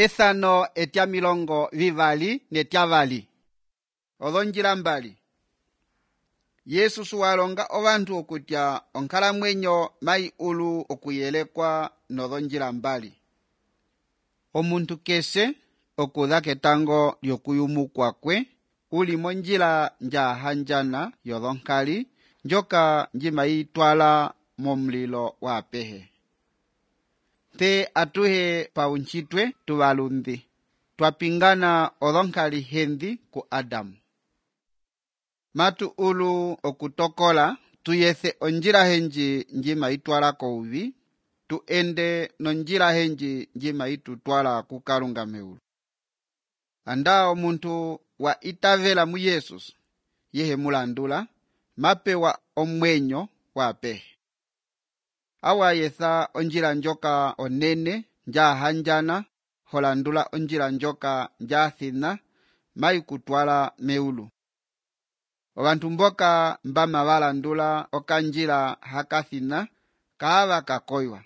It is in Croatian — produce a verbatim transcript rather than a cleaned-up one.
ethano etya milongo vivali netyavali. Olonjila mbali. Yesu suwalonga obantu okutya onkalamwenyo mai ulu okuyelekwa nolonjila mbali. Omuntu kese okuza ketango lyokuyumukwa kwe uli monjila njahandjana yolonkali njoka njimayitwala momulilo wapehe. Te atuhe paunchitwe tuvalundi twapingana olonkali hendi ku Adamu. Matu ulu okutokola tuyethe onjila henji njima itwala kouvi, tu ende nonjila henji njima itutwala kukalunga meulu. Anda omuntu wa itavela mu Yesus, yehe mulandula, mapewa omwenyo wapehe. Awa yetha onjila njoka onene, njahanjana, holandula onjila njoka njathina, mai kutwala meulu. Obantu mboka mbama balandula okanjila hakathina kaaba kakoywa.